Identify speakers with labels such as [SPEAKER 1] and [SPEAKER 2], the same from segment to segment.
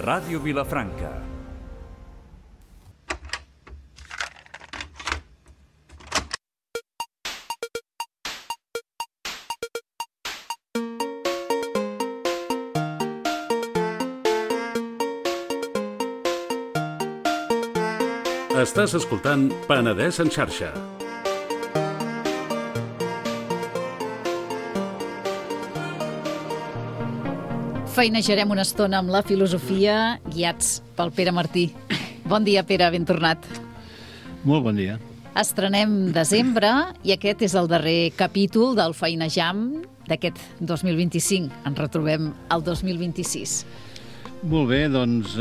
[SPEAKER 1] Ràdio Vilafranca.
[SPEAKER 2] Estàs escoltant Penedès en xarxa.
[SPEAKER 3] Feinejarem una estona amb la filosofia, guiats pel Pere Martí. Bon dia, Pere, ben tornat.
[SPEAKER 4] Molt bon dia.
[SPEAKER 3] Estrenem desembre i aquest és el darrer capítol del Feinejam d'aquest 2025. Ens retrobem al 2026.
[SPEAKER 4] Molt bé, doncs,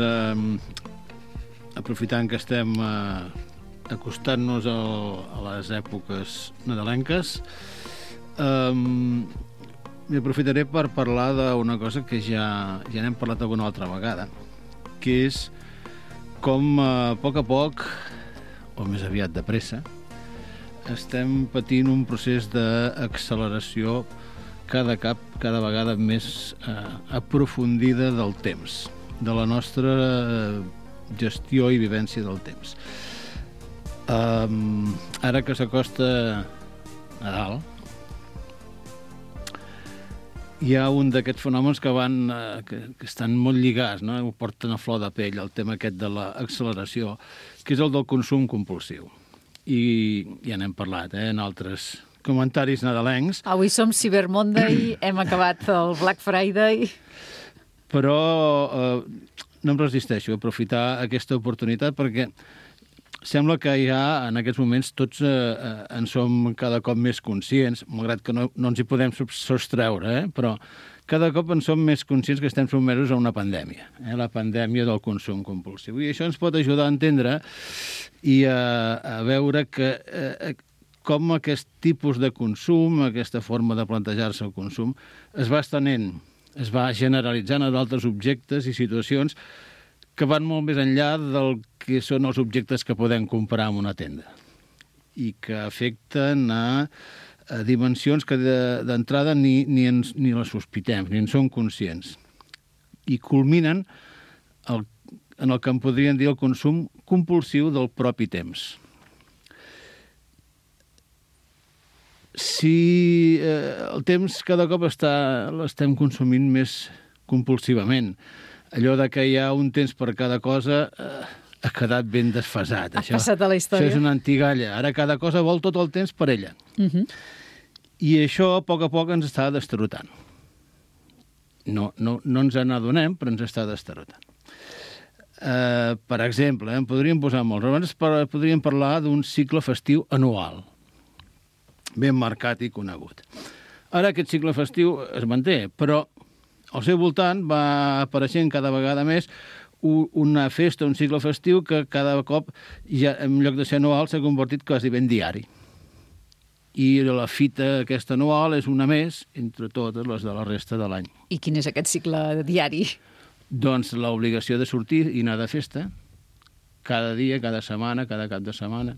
[SPEAKER 4] aprofitant que estem acostant-nos a les èpoques nadalenques, m'aprofitaré per parlar d'una cosa que ja n'hem parlat alguna altra vegada, que és com a poc, o més aviat de pressa, estem patint un procés d'acceleració cada vegada més aprofundida del temps, de la nostra gestió i vivència del temps. Ara que s'acosta Nadal, hi ha un d'aquests fenòmens que estan molt lligats, no? Ho porten a flor de pell, el tema aquest de l'acceleració, que és el del consum compulsiu. I ja n'hem parlat, en altres comentaris nadalencs.
[SPEAKER 3] Avui som Cyber Monday, hem acabat el Black Friday.
[SPEAKER 4] Però no em resisteixo a aprofitar aquesta oportunitat perquè sembla que ja en aquests moments tots en som cada cop més conscients, malgrat que no ens hi podem sostreure, però cada cop en som més conscients que estem sotmesos a una pandèmia, la pandèmia del consum compulsiu. I això ens pot ajudar a entendre i a veure que com aquest tipus de consum, aquesta forma de plantejar-se el consum, es va estenent, es va generalitzant a d'altres objectes i situacions que van molt més enllà del que són els objectes que podem comprar en una tenda i que afecten a dimensions que d'entrada ni les sospitem, ni en som conscients. I culminen en el que en podríem dir el consum compulsiu del propi temps. Si el temps cada cop l'estem consumint més compulsivament, allò de que hi ha un temps per cada cosa ha quedat ben desfasat.
[SPEAKER 3] Ha passat a la història.
[SPEAKER 4] Això és una antigalla. Ara cada cosa vol tot el temps per ella. I això, a poc ens està destrotant. No ens n'adonem, però ens està destrotant. Per exemple, en podríem posar molts. Abans podríem parlar d'un cicle festiu anual, ben marcat i conegut. Ara aquest cicle festiu es manté, però al seu voltant va apareixent cada vegada més una festa, un cicle festiu que cada cop, ja en lloc de ser anual, s'ha convertit quasi ben diari. I la fita aquesta anual és una més entre totes les de la resta de l'any.
[SPEAKER 3] I quin és aquest cicle diari?
[SPEAKER 4] Doncs l'obligació de sortir i anar de festa, cada dia, cada setmana, cada cap de setmana.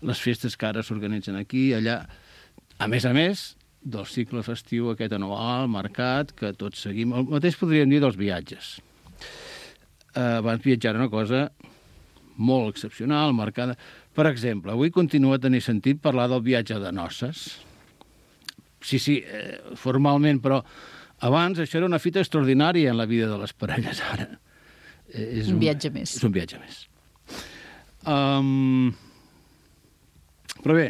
[SPEAKER 4] Les festes que ara s'organitzen aquí, allà. A més, del cicle festiu aquest anual, marcat, que tots seguim. El mateix podríem dir dels viatges. Abans viatjar era una cosa molt excepcional, marcada. Per exemple, avui continua a tenir sentit parlar del viatge de noces. Sí, formalment, però abans això era una fita extraordinària en la vida de les parelles, ara. És
[SPEAKER 3] un viatge més.
[SPEAKER 4] És un viatge més. Però bé,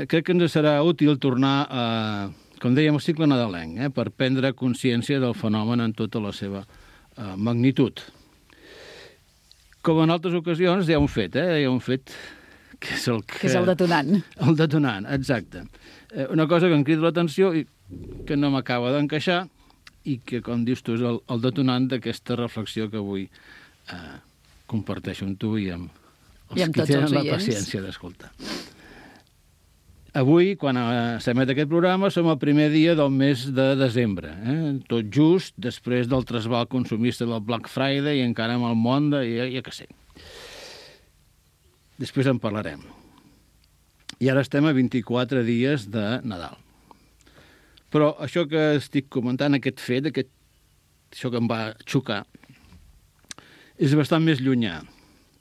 [SPEAKER 4] crec que ens serà útil tornar a, com dèiem, al cicle nadalenc, per prendre consciència del fenomen en tota la seva magnitud. Com en altres ocasions, hi ha un fet, hi ha un fet que és el
[SPEAKER 3] detonant.
[SPEAKER 4] El detonant, exacte. Una cosa que em crida l'atenció i que no m'acaba d'encaixar i que, com dius tu, és el detonant d'aquesta reflexió que avui comparteixo amb tu i amb els que tenen la paciència d'escoltar. Avui, quan s'emet aquest programa, som el primer dia del mes de desembre, tot just després del trasbal consumista del Black Friday i encara amb el món de... ja que sé. Després en parlarem. I ara estem a 24 dies de Nadal. Però això que estic comentant, aquest fet, aquest això que em va xocar, és bastant més llunyà,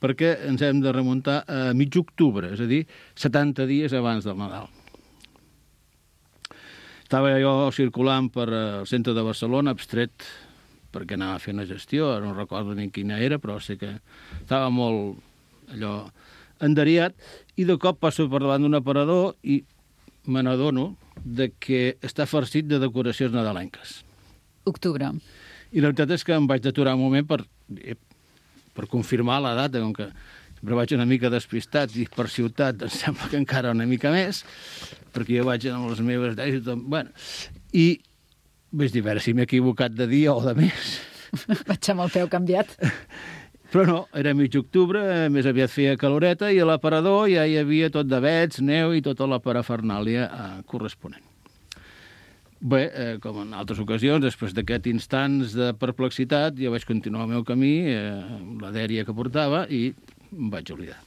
[SPEAKER 4] perquè ens hem de remuntar a mig octubre, és a dir, 70 dies abans del Nadal. Estava jo circulant per el centre de Barcelona, abstret, perquè anava a fer una gestió, no recordo ni quina era, però sé que estava molt allò enderiat, i de cop passo per davant d'un aparador i me n'adono que està farcit de decoracions nadalenques.
[SPEAKER 3] Octubre.
[SPEAKER 4] I la veritat és que em vaig aturar un moment per confirmar la data, com que sempre vaig una mica despistat i per ciutat em sembla que encara una mica més, perquè jo vaig amb les meves idees i tot. Bueno, i vaig dir, a veure si m'he equivocat de dia o de mes.
[SPEAKER 3] Vaig amb el peu canviat.
[SPEAKER 4] Però no, era mig octubre, més aviat feia caloreta, i a l'aparador ja hi havia tot d'avets, neu i tota la parafernàlia corresponent. Bé, com en altres ocasions, després d'aquests instants de perplexitat, jo vaig continuar el meu camí, la dèria que portava, i em vaig oblidar.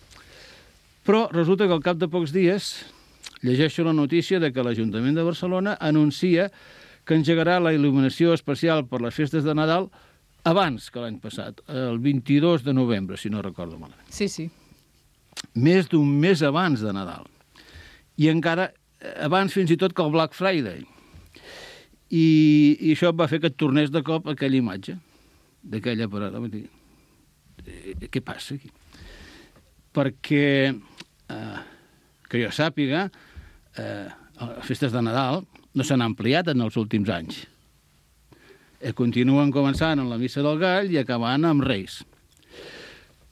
[SPEAKER 4] Però resulta que al cap de pocs dies llegeixo la notícia de que l'Ajuntament de Barcelona anuncia que engegarà la il·luminació especial per les festes de Nadal abans que l'any passat, el 22 de novembre, si no recordo malament.
[SPEAKER 3] Sí, sí.
[SPEAKER 4] Més d'un mes abans de Nadal. I encara abans fins i tot que el Black Friday. I això va fer que et tornés de cop aquella imatge d'aquella parada. Què passa aquí? Perquè, que jo sàpiga, les festes de Nadal no s'han ampliat en els últims anys. Continuen començant amb la Missa del Gall i acabant amb Reis.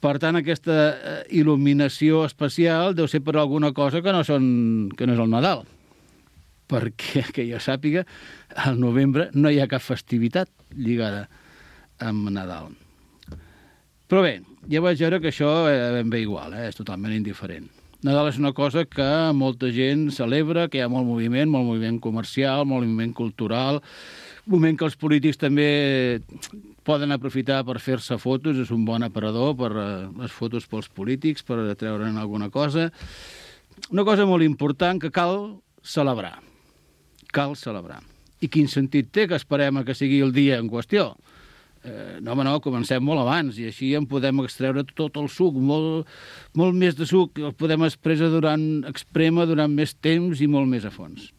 [SPEAKER 4] Per tant, aquesta il·luminació especial deu ser per alguna cosa que no és el Nadal. Perquè, que jo sàpiga, al novembre no hi ha cap festivitat lligada amb Nadal. Però bé, ja vaig veure que això ben bé igual, és totalment indiferent. Nadal és una cosa que molta gent celebra, que hi ha molt moviment comercial, molt moviment cultural, moment que els polítics també poden aprofitar per fer-se fotos, és un bon aparador per les fotos pels polítics, per treure'n alguna cosa. Una cosa molt important que cal celebrar. Cal celebrar. I quin sentit té que esperem a que sigui el dia en qüestió? No, comencem molt abans i així en podem extreure tot el suc, molt més de suc, el podem exprémer durant més temps i molt més a fons.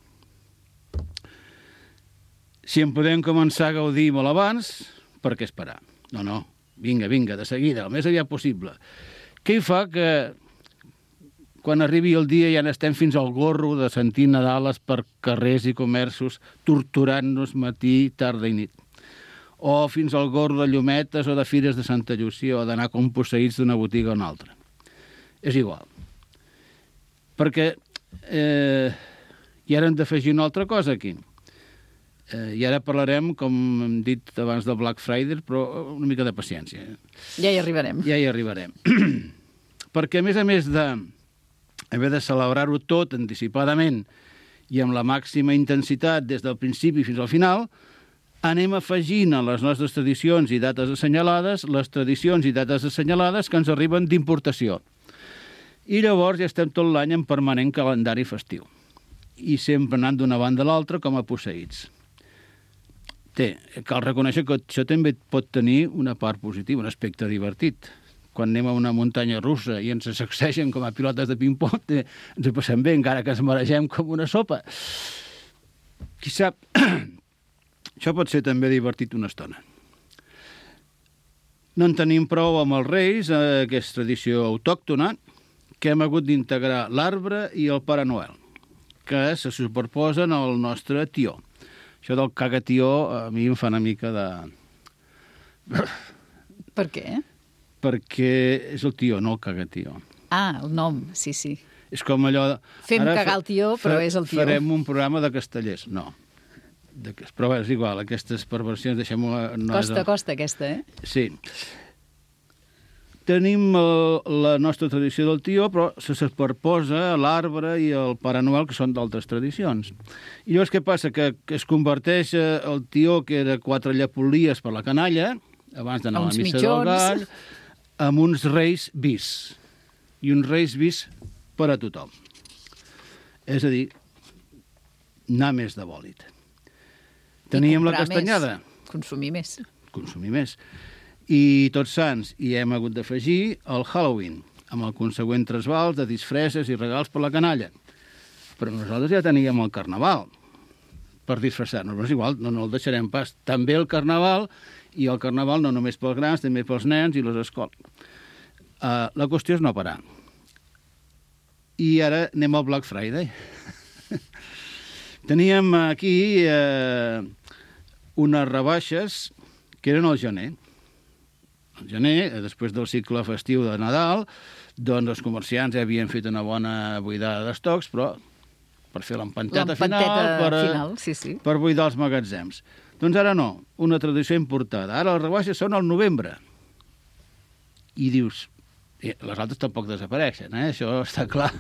[SPEAKER 4] Si en podem començar a gaudir molt abans, per què esperar? No, vinga, de seguida, el més aviat possible. Què hi fa que quan arribi el dia ja n'estem fins al gorro de sentir Nadales per carrers i comerços, torturant-nos matí, tarda i nit? O fins al gorro de llumetes o de fires de Santa Llúcia o d'anar com posseïts d'una botiga a una altra? És igual. Perquè i ara hem d'afegir una altra cosa aquí. I ara parlarem, com hem dit abans, del Black Friday, però una mica de paciència.
[SPEAKER 3] Ja hi arribarem.
[SPEAKER 4] Ja hi arribarem. Perquè, a més d'haver de celebrar-ho tot anticipadament i amb la màxima intensitat des del principi fins al final, anem afegint a les nostres tradicions i dates assenyalades les tradicions i dates assenyalades que ens arriben d'importació. I llavors ja estem tot l'any en permanent calendari festiu. I sempre anant d'una banda a l'altra com a posseïts. Cal reconèixer que això també pot tenir una part positiva, un aspecte divertit. Quan anem a una muntanya russa i ens sacsegen com a pilotes de ping-pong, ens ho passem bé, encara que ens maregem com una sopa. Qui sap, això pot ser també divertit una estona. No en tenim prou amb els Reis, aquesta tradició autòctona, que hem hagut d'integrar l'arbre i el Pare Noel, que se superposen al nostre tió. Això del cagatió a mi em fa una mica de...
[SPEAKER 3] Per què?
[SPEAKER 4] Perquè és el tió, no el cagatió.
[SPEAKER 3] Ah, el nom, sí.
[SPEAKER 4] És com allò...
[SPEAKER 3] Fem cagar el tió, però és el tió.
[SPEAKER 4] Farem un programa de castellers. No. Però és igual, aquestes perversions, deixem-ho...
[SPEAKER 3] Costa, aquesta,
[SPEAKER 4] Sí. Tenim la nostra tradició del tió, però se superposa l'arbre i el Pare Noel, que són d'altres tradicions. I llavors què passa? Que es converteix el tió, que era 4 llepolies per la canalla, abans d'anar a la Missa del Gall, amb uns reis bis. I uns reis bis per a tothom. És a dir, anar més de bòlit. Teníem la castanyada.
[SPEAKER 3] Consumir més.
[SPEAKER 4] consumir més. I Tots Sants hi hem hagut d'afegir el Halloween, amb el consegüent trasbals de disfresses i regals per la canalla. Però nosaltres ja teníem el Carnaval per disfressar-nos, però és igual, no el deixarem pas. També el Carnaval, i el Carnaval no només pels grans, també pels nens i les escoles. La qüestió és no parar. I ara anem al Black Friday. Teníem aquí unes rebaixes que eren al gener. Al gener, després del cicle festiu de Nadal, doncs els comerciants ja havien fet una bona buidada d'estocs, però per fer l'empanteta final,
[SPEAKER 3] sí.
[SPEAKER 4] Per buidar els magatzems. Doncs ara no, una tradició importada. Ara les rebaixes són al novembre. I dius, les altres tampoc desapareixen, això està clar.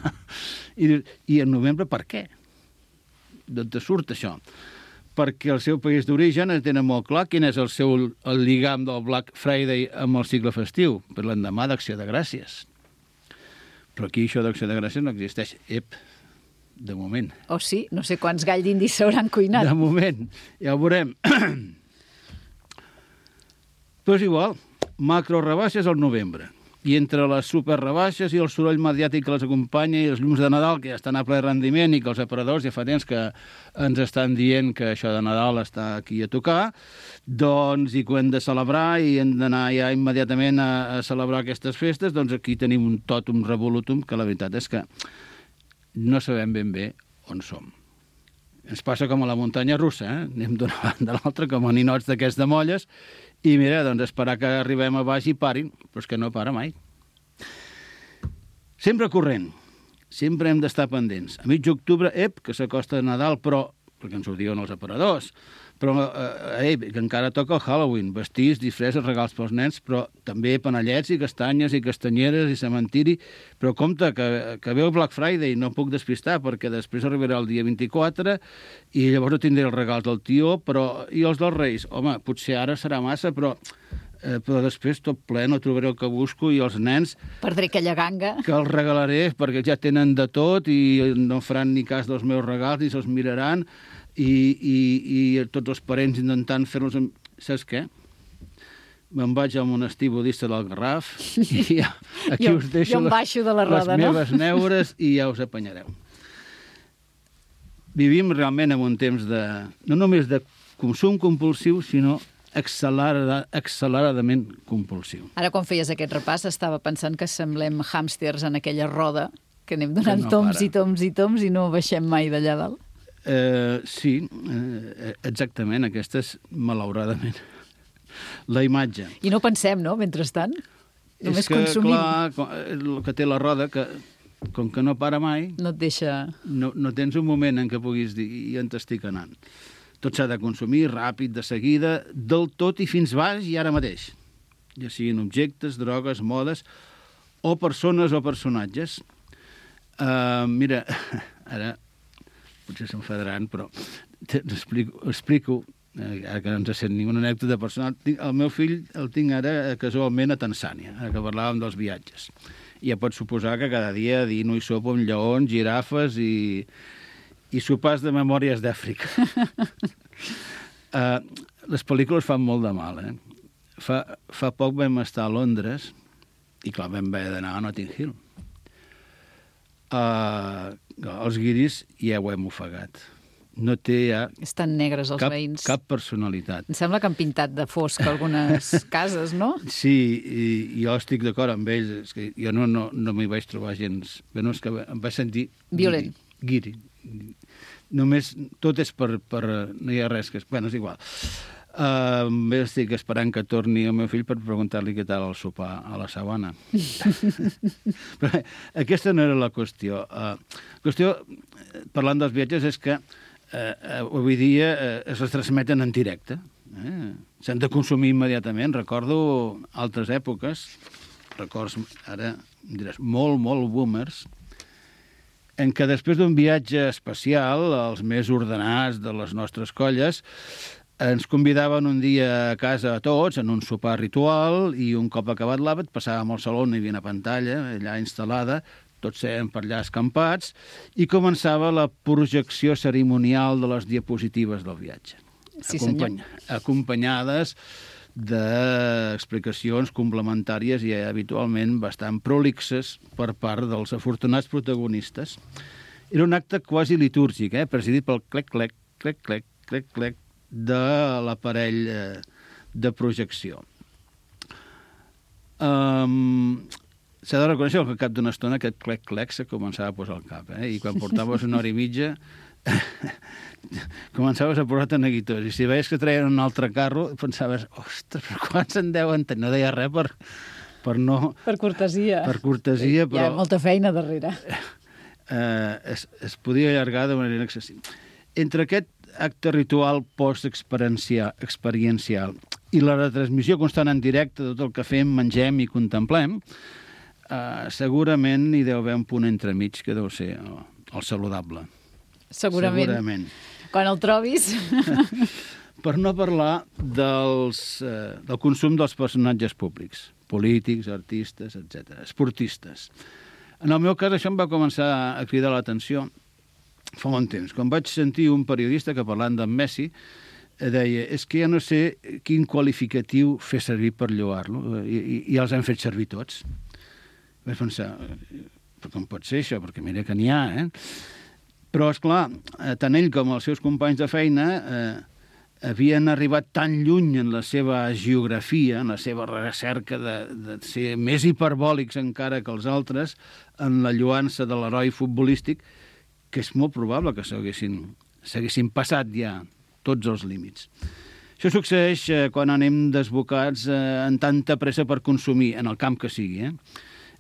[SPEAKER 4] I dius, i en novembre per què? D'on te surt això? Perquè el seu país d'origen tenen molt clar quin és el lligam del Black Friday amb el cicle festiu, per l'endemà d'Acció de Gràcies. Però aquí això d'Acció de Gràcies no existeix. De moment.
[SPEAKER 3] O sí, no sé quants gall d'indis s'hauran cuinat.
[SPEAKER 4] De moment, ja ho veurem. Però és igual, macro rebaixes al novembre. I entre les superrebaixes i el soroll mediàtic que les acompanya i els llums de Nadal, que ja estan a ple rendiment i que els aparadors ja fa temps que ens estan dient que això de Nadal està aquí a tocar, doncs, i que ho hem de celebrar i hem d'anar ja immediatament a celebrar aquestes festes, doncs aquí tenim un tòtum revolutum que la veritat és que no sabem ben bé on som. Ens passa com a la muntanya russa, anem d'una banda a l'altra com a ninots d'aquests de molles i mira, doncs esperar que arribem a baix i parin, però és que no para mai. Sempre corrent, sempre hem d'estar pendents. A mig d'octubre, que s'acosta Nadal, però, perquè ens ho diuen els aparadors, però que encara toca el Halloween, vestits, disfresses, regals pels nens, però també panellets i castanyes i castanyeres i cementiri. Però compte, que ve el Black Friday, no puc despistar, perquè després arribarà el dia 24 i llavors no tindré els regals del tió, però i els dels Reis. Home, potser ara serà massa, però després tot ple, no trobaré el que busco i els nens...
[SPEAKER 3] Perdré aquella ganga.
[SPEAKER 4] Que els regalaré, perquè ja tenen de tot i no faran ni cas dels meus regals ni se'ls miraran. I tots els parents intentant fer-los... Saps què? Me'n vaig al monestir budista del Garraf i aquí us deixo les meves neures i ja us apanyareu. Vivim realment en un temps no només de consum compulsiu, sinó acceleradament compulsiu.
[SPEAKER 3] Ara, quan feies aquest repàs, estava pensant que semblem hàmsters en aquella roda, que anem donant toms i toms i toms i no baixem mai d'allà dalt.
[SPEAKER 4] Sí, exactament, aquesta és, malauradament, la imatge.
[SPEAKER 3] I no pensem, no?, mentrestant? Només consumim.
[SPEAKER 4] És que, clar, el que té la roda, que com que no para mai...
[SPEAKER 3] No et deixa...
[SPEAKER 4] No tens un moment en què puguis dir, i on t'estic anant. Tot s'ha de consumir ràpid, de seguida, del tot i fins baix i ara mateix. Ja siguin objectes, drogues, modes, o persones o personatges. Mira, ara... potser s'enfadaran, però explico, ara que no ens sent ninguna anècdota personal, el meu fill el tinc ara casualment a Tanzània, ara que parlàvem dels viatges. I ja pots suposar que cada dia dino i sopo amb lleons, girafes i sopars de memòries d'Àfrica. Les pel·lícules fan molt de mal, Fa poc vam estar a Londres i, clar, vam haver d'anar a Notting Hill. Els guiris ja ho hem ofegat. No té ja...
[SPEAKER 3] Estan negres els veïns.
[SPEAKER 4] Cap personalitat.
[SPEAKER 3] Em sembla que han pintat de fosc algunes cases, no?
[SPEAKER 4] Sí, i jo estic d'acord amb ells. És que jo no m'hi vaig trobar gens... Bé, no, és que em vaig sentir...
[SPEAKER 3] Violent.
[SPEAKER 4] Guiri. Només tot és per... No hi ha res que... Bé, és igual. Bé, estic esperant que torni el meu fill per preguntar-li què tal el sopar a la sabana. Però aquesta no era la qüestió. La qüestió, parlant dels viatges, és que avui dia es transmeten en directe. S'han de consumir immediatament. Recordo altres èpoques, records, ara em diràs, molt boomers, en què després d'un viatge especial, els més ordenats de les nostres colles, ens convidaven un dia a casa a tots, en un sopar ritual, i un cop acabat l'àpat passàvem al saló, hi havia una pantalla allà instal·lada, tots érem per allà escampats, i començava la projecció cerimonial de les diapositives del viatge.
[SPEAKER 3] Sí, senyor.
[SPEAKER 4] Acompanyades d'explicacions complementàries i habitualment bastant prolixes per part dels afortunats protagonistes. Era un acte quasi litúrgic, presidit pel clec-clec, clec-clec, clec-clec de l'aparell de projecció. S'ha de reconèixer que al cap d'una estona aquest clec-clec se començava a posar al cap, i quan portaves una hora i mitja començaves a posar-te neguitós, i si veies que treien un altre carro pensaves, ostres, però quants en deuen tenir? No deia res per no...
[SPEAKER 3] Per cortesia.
[SPEAKER 4] Per cortesia, però...
[SPEAKER 3] Hi ha molta feina darrere.
[SPEAKER 4] Es podia allargar de manera excessiva. Entre aquest acte ritual post-experiencial i la retransmissió constant en directe de tot el que fem, mengem i contemplem, segurament hi deu haver un punt entremig que deu ser el saludable.
[SPEAKER 3] Segurament. Quan el trobis...
[SPEAKER 4] Per no parlar del consum dels personatges públics, polítics, artistes, etc., esportistes. En el meu cas, això em va començar a cridar l'atenció fa molt temps. Quan vaig sentir un periodista que, parlant d'en Messi, deia, és que ja no sé quin qualificatiu fer servir per lloar-lo, i els hem fet servir tots. Vaig pensar, però com pot ser això? Perquè mira que n'hi ha, Però, esclar, tant ell com els seus companys de feina havien arribat tan lluny en la seva geografia, en la seva recerca de ser més hiperbòlics encara que els altres, en la lluança de l'heroi futbolístic, que és molt probable que s'haguessin passat ja tots els límits. Això succeeix quan anem desbocats en tanta pressa per consumir, en el camp que sigui,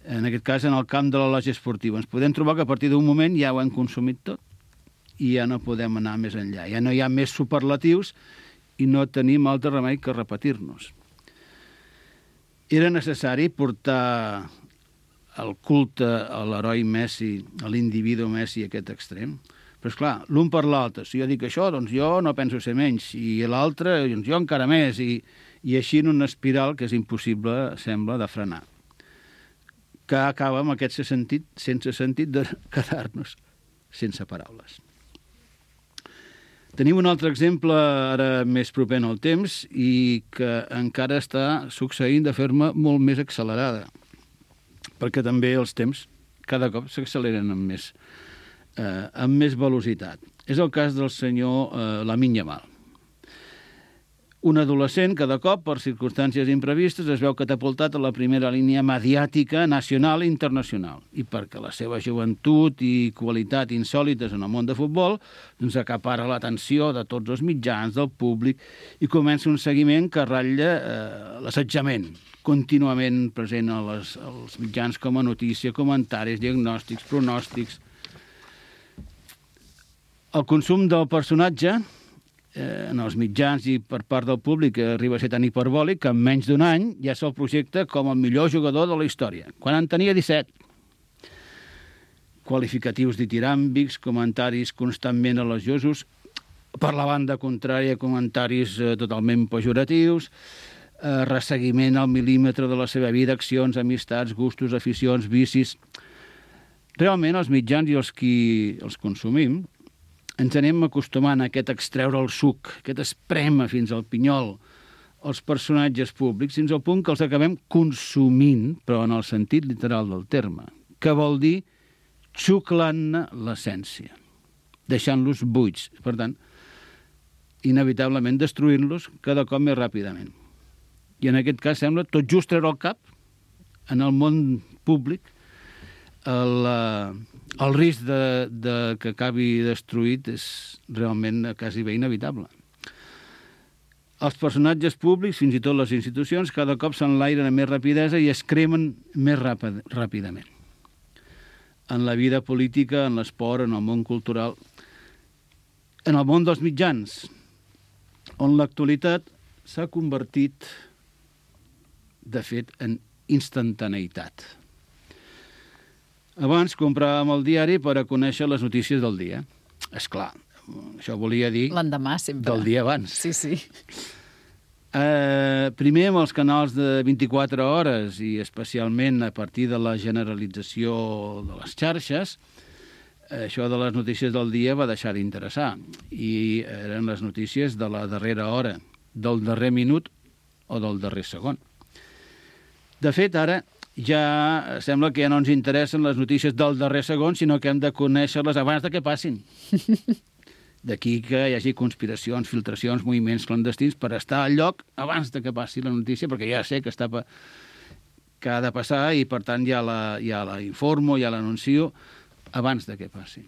[SPEAKER 4] En aquest cas, en el camp de la lògia esportiva. Ens podem trobar que a partir d'un moment ja ho hem consumit tot i ja no podem anar més enllà. Ja no hi ha més superlatius i no tenim altre remei que repetir-nos. Era necessari portar el culte a l'heroi Messi, a l'individu Messi, a aquest extrem. Però, esclar, l'un per l'altre. Si jo dic això, doncs jo no penso ser menys. I l'altre, doncs jo encara més. I així en una espiral que és impossible, sembla, de frenar. Que acaba amb aquest sense sentit de quedar-nos sense paraules. Tenim un altre exemple ara més proper en el temps i que encara està succeint de forma molt més accelerada, perquè també els temps cada cop s'acceleren amb més velocitat. És el cas del senyor Lamine Yamal. Un adolescent que de cop, per circumstàncies imprevistes, es veu catapultat a la primera línia mediàtica nacional i internacional. I perquè la seva joventut i qualitat insòlites en el món de futbol doncs acapara l'atenció de tots els mitjans, del públic, i comença un seguiment que ratlla l'assetjament, contínuament present als mitjans com a notícia, comentaris, diagnòstics, pronòstics. El consum del personatge en els mitjans i per part del públic arriba a ser tan hiperbòlic que en menys d'un any ja se'l projecta com el millor jugador de la història, quan en tenia 17. Qualificatius ditiràmbics, comentaris constantment elogiosos, per la banda contrària comentaris totalment pejoratius, resseguiment al mil·límetre de la seva vida, accions, amistats, gustos, aficions, vicis. Realment els mitjans i els qui els consumim ens anem acostumant a aquest extreure el suc, aquest esprema fins al pinyol, els personatges públics, fins al punt que els acabem consumint, però en el sentit literal del terme, que vol dir xuclant-ne l'essència, deixant-los buits. Per tant, inevitablement destruint-los cada cop més ràpidament. I en aquest cas sembla tot just treure el cap en el món públic el risc de que acabi destruït és realment quasi bé inevitable. Els personatges públics, fins i tot les institucions, cada cop s'enlairen amb més rapidesa i es cremen més ràpidament. En la vida política, en l'esport, en el món cultural, en el món dels mitjans, on l'actualitat s'ha convertit, de fet, en instantaneïtat. Abans compràvem el diari per a conèixer les notícies del dia. És clar, això volia dir...
[SPEAKER 3] L'endemà, sempre.
[SPEAKER 4] Del dia abans.
[SPEAKER 3] Sí, sí.
[SPEAKER 4] Primer amb els canals de 24 hores i especialment a partir de la generalització de les xarxes, això de les notícies del dia va deixar d'interessar. I eren les notícies de la darrera hora, del darrer minut o del darrer segon. De fet, ara ja sembla que ja no ens interessen les notícies del darrer segon, sinó que hem de conèixer-les abans de que passin. D'aquí que hi hagi conspiracions, filtracions, moviments clandestins per estar al lloc abans de que passi la notícia, perquè ja sé que ha de passar i, per tant, ja la informo, ja l'anuncio abans de que passi.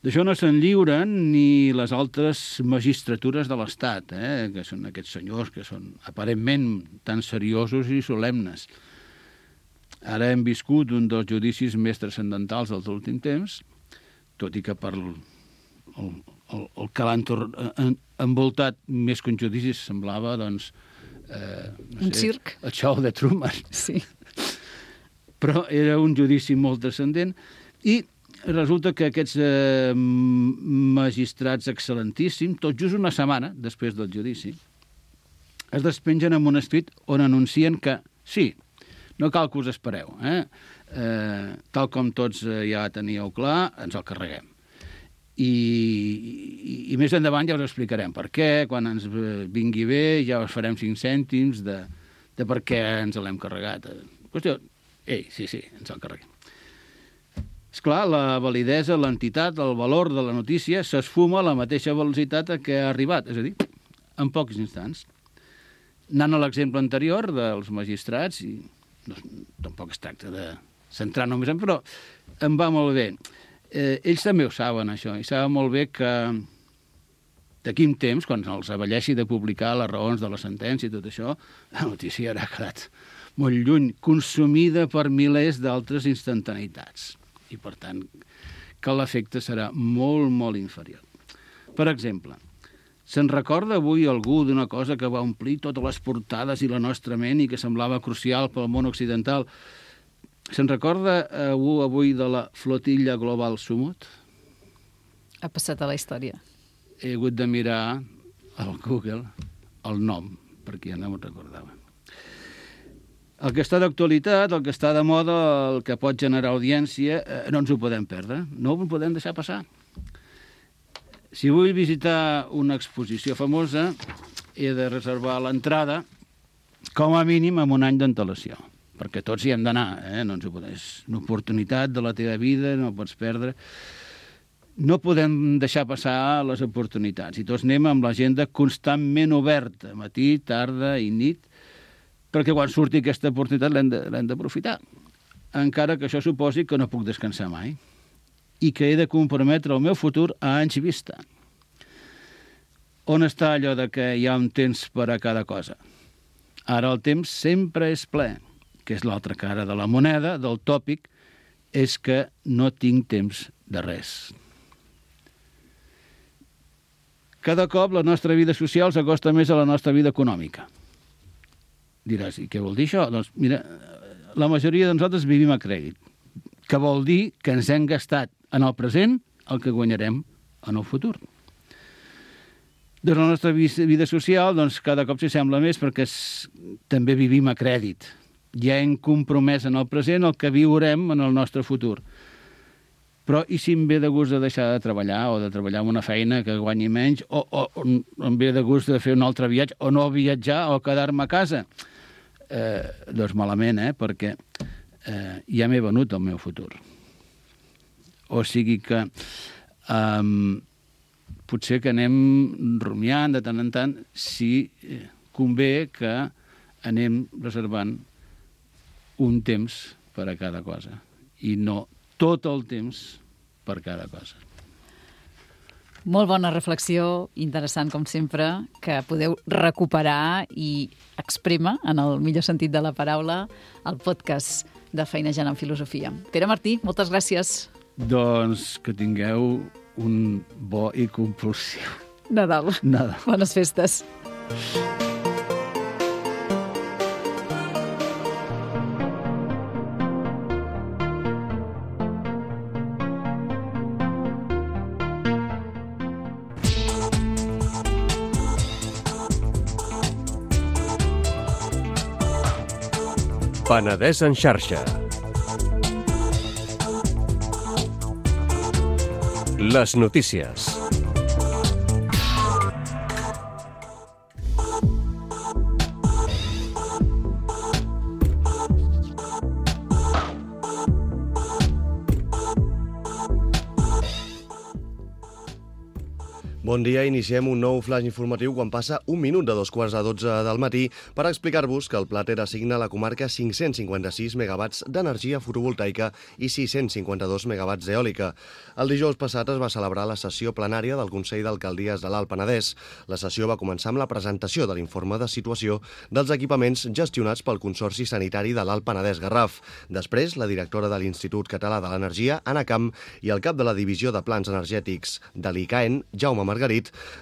[SPEAKER 4] D'això no se'n lliuren ni les altres magistratures de l'Estat, que són aquests senyors que són aparentment tan seriosos i solemnes. Ara hem viscut un dels judicis més transcendentals dels últims temps, tot i que per el que l'han envoltat més que un judici semblava, doncs,
[SPEAKER 3] un circ.
[SPEAKER 4] El show de Truman.
[SPEAKER 3] Sí.
[SPEAKER 4] Però era un judici molt transcendent i resulta que aquests magistrats excel·lentíssims, tot just una setmana després del judici, es despengen en un escrit on anuncien que sí, no cal que us espereu, tal com tots ja teníeu clar, ens el carreguem. I més endavant ja us explicarem per què, quan ens vingui bé ja us farem 5 cèntims de per què ens l'hem carregat. Qüestió, sí, ens el carreguem. Esclar, la validesa, l'entitat, el valor de la notícia s'esfuma a la mateixa velocitat a què ha arribat, és a dir, en pocs instants. Anant a l'exemple anterior dels magistrats, i tampoc es tracta de centrar només en, però em va molt bé. Ells també ho saben, això, i saben molt bé que d'aquí un temps, quan els avelleixi de publicar les raons de la sentència i tot això, la notícia haurà quedat molt lluny, consumida per milers d'altres instantaneïtats. I, per tant, que l'efecte serà molt, molt inferior. Per exemple, se'n recorda avui algú d'una cosa que va omplir totes les portades i la nostra ment i que semblava crucial pel món occidental? Se'n recorda algú avui de la flotilla global Sumut?
[SPEAKER 3] Ha passat a la història.
[SPEAKER 4] He hagut de mirar al Google el nom, perquè ja no me'n recordava. El que està d'actualitat, el que està de moda, el que pot generar audiència, no ens ho podem perdre, no ho podem deixar passar. Si vull visitar una exposició famosa, he de reservar l'entrada com a mínim amb un any d'antelació, perquè tots hi hem d'anar, no ens ho podem. És una oportunitat de la teva vida, no pots perdre. No podem deixar passar les oportunitats i tots anem amb l'agenda constantment oberta, matí, tarda i nit, perquè quan surti aquesta oportunitat l'hem d'aprofitar, encara que això suposi que no puc descansar mai i que he de comprometre el meu futur a anys vista. On està allò de que hi ha un temps per a cada cosa? Ara el temps sempre és ple, que és l'altra cara de la moneda, del tòpic, és que no tinc temps de res. Cada cop la nostra vida social s'acosta més a la nostra vida econòmica. Diràs, i què vol dir això? Doncs mira, la majoria de nosaltres vivim a crèdit, que vol dir que ens hem gastat en el present el que guanyarem en el futur. Doncs la nostra vida social cada cop s'hi sembla més perquè també vivim a crèdit. Ja hem compromès en el present el que viurem en el nostre futur. Però i si em ve de gust de deixar de treballar o de treballar en una feina que guanyi menys o em ve de gust de fer un altre viatge o no viatjar o quedar-me a casa? Doncs malament, perquè ja m'he venut el meu futur. O sigui que potser que anem rumiant de tant en tant si convé que anem reservant un temps per a cada cosa i no tot el temps per cada cosa.
[SPEAKER 3] Molt bona reflexió, interessant com sempre, que podeu recuperar i exprémer, en el millor sentit de la paraula, el podcast de Feinejant en Filosofia. Pere Martí, moltes gràcies.
[SPEAKER 4] Doncs que tingueu un bo i compulsiu
[SPEAKER 3] Nadal. Bones festes.
[SPEAKER 1] Penedès en xarxa. Les notícies.
[SPEAKER 5] Bon dia, iniciem un nou flash informatiu quan passa un minut de 2:45 del matí per explicar-vos que el Plater assigna a la comarca 556 megawatts d'energia fotovoltaica i 652 megawatts d'eòlica. El dijous passat es va celebrar la sessió plenària del Consell d'Alcaldies de l'Alt Penedès. La sessió va començar amb la presentació de l'informe de situació dels equipaments gestionats pel Consorci Sanitari de l'Alt Penedès Garraf. Després, la directora de l'Institut Català de l'Energia, Anna Camp, i el cap de la Divisió de Plans Energètics de l'ICAEN, Jaume Margarit,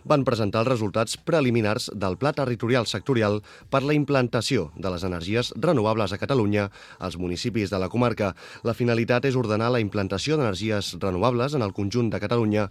[SPEAKER 5] van presentar els resultats preliminars del Pla Territorial Sectorial per la implantació de les energies renovables a Catalunya als municipis de la comarca. La finalitat és ordenar la implantació d'energies renovables en el conjunt de Catalunya.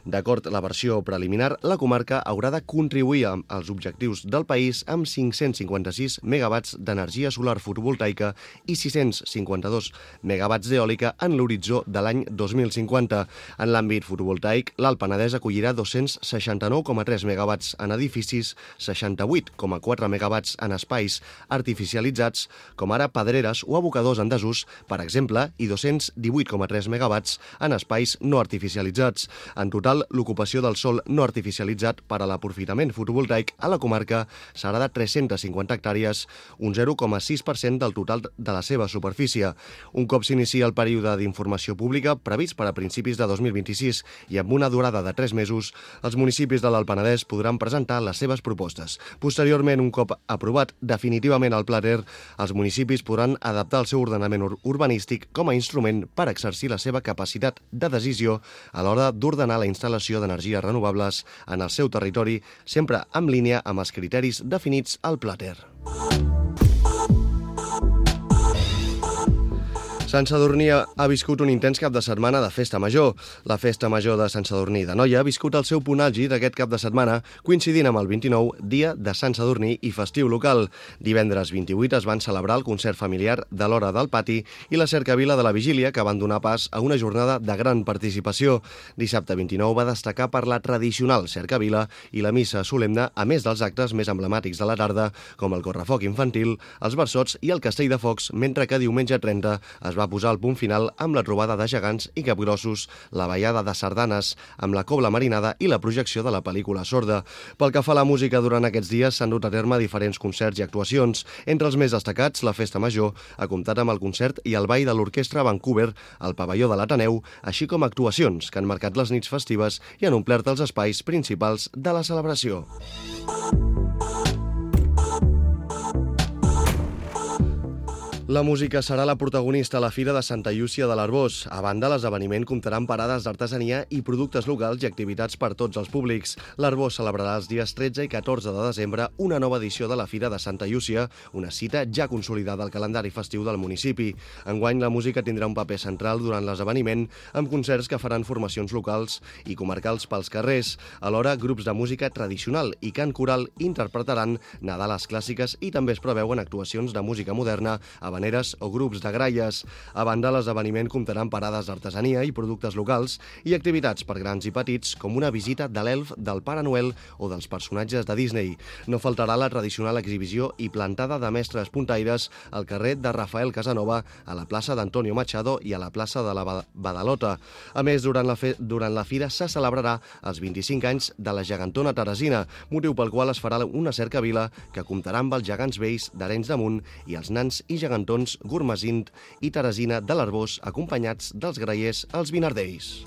[SPEAKER 5] D'acord amb la versió preliminar, la comarca haurà de contribuir als objectius del país amb 556 megawatts d'energia solar fotovoltaica i 652 megawatts d'eòlica en l'horitzó de l'any 2050. En l'àmbit fotovoltaic, l'Alt Penedès acollirà 269,3 megawatts en edificis, 68,4 megawatts en espais artificialitzats, com ara pedreres o abocadors en desús, per exemple, i 218,3 megawatts en espais no artificialitzats. En total, l'ocupació del sòl no artificialitzat per a l'aprofitament fotovoltaic a la comarca serà de 350 hectàrees, un 0,6% del total de la seva superfície. Un cop s'inicia el període d'informació pública previst per a principis de 2026 i amb una durada de 3 mesos, els municipis de l'Alt Penedès podran presentar les seves propostes. Posteriorment, un cop aprovat definitivament el Plater, els municipis podran adaptar el seu ordenament urbanístic com a instrument per exercir la seva capacitat de decisió a l'hora d'ordenar la instal·lació d'energies renovables en el seu territori, sempre en línia amb els criteris definits al Plater. Sant Sadurní ha viscut un intens cap de setmana de festa major. La festa major de Sant Sadurní d'Anoia ha viscut el seu punt àlgid aquest cap de setmana, coincidint amb el 29, dia de Sant Sadurní i festiu local. Divendres 28 es van celebrar el concert familiar de l'Hora del Pati i la cercavila de la Vigília, que van donar pas a una jornada de gran participació. Dissabte 29 va destacar per la tradicional cercavila i la missa solemne, a més dels actes més emblemàtics de la tarda, com el correfoc infantil, els versots i el castell de focs, mentre que diumenge 30 es va posar el punt final amb la trobada de gegants i capgrossos, la ballada de sardanes, amb la cobla marinada i la projecció de la pel·lícula Sorda. Pel que fa a la música, durant aquests dies s'han dut a terme diferents concerts i actuacions. Entre els més destacats, la Festa Major ha comptat amb el concert i el ball de l'Orquestra Vancouver al pavelló de l'Ateneu, així com actuacions que han marcat les nits festives i han omplert els espais principals de la celebració. La música serà la protagonista a la Fira de Santa Llúcia de l'Arboç. A banda, l'esdeveniment comptarà amb parades d'artesania i productes locals i activitats per tots els públics. L'Arboç celebrarà els dies 13 i 14 de desembre una nova edició de la Fira de Santa Llúcia, una cita ja consolidada al calendari festiu del municipi. Enguany, la música tindrà un paper central durant l'esdeveniment, amb concerts que faran formacions locals i comarcals pels carrers. Alhora, grups de música tradicional i cant coral interpretaran Nadales clàssiques i també es preveuen actuacions de música moderna, habaneres o grups de gralles. A banda, l'esdeveniment comptarà amb parades d'artesania i productes locals i activitats per grans i petits, com una visita de l'elf, del Pare Noel o dels personatges de Disney. No faltarà la tradicional exhibició i plantada de mestres puntaires al carrer de Rafael Casanova, a la plaça d'Antonio Machado i a la plaça de la Badalota. A més, durant la fira se celebrarà els 25 anys de la gegantona Teresina, motiu pel qual es farà una cercavila que comptarà amb els gegants vells d'Arenys de Munt i els nans i gegantons Gurmesint i Teresina de l'Arboç, acompanyats dels grallers als Vinardells.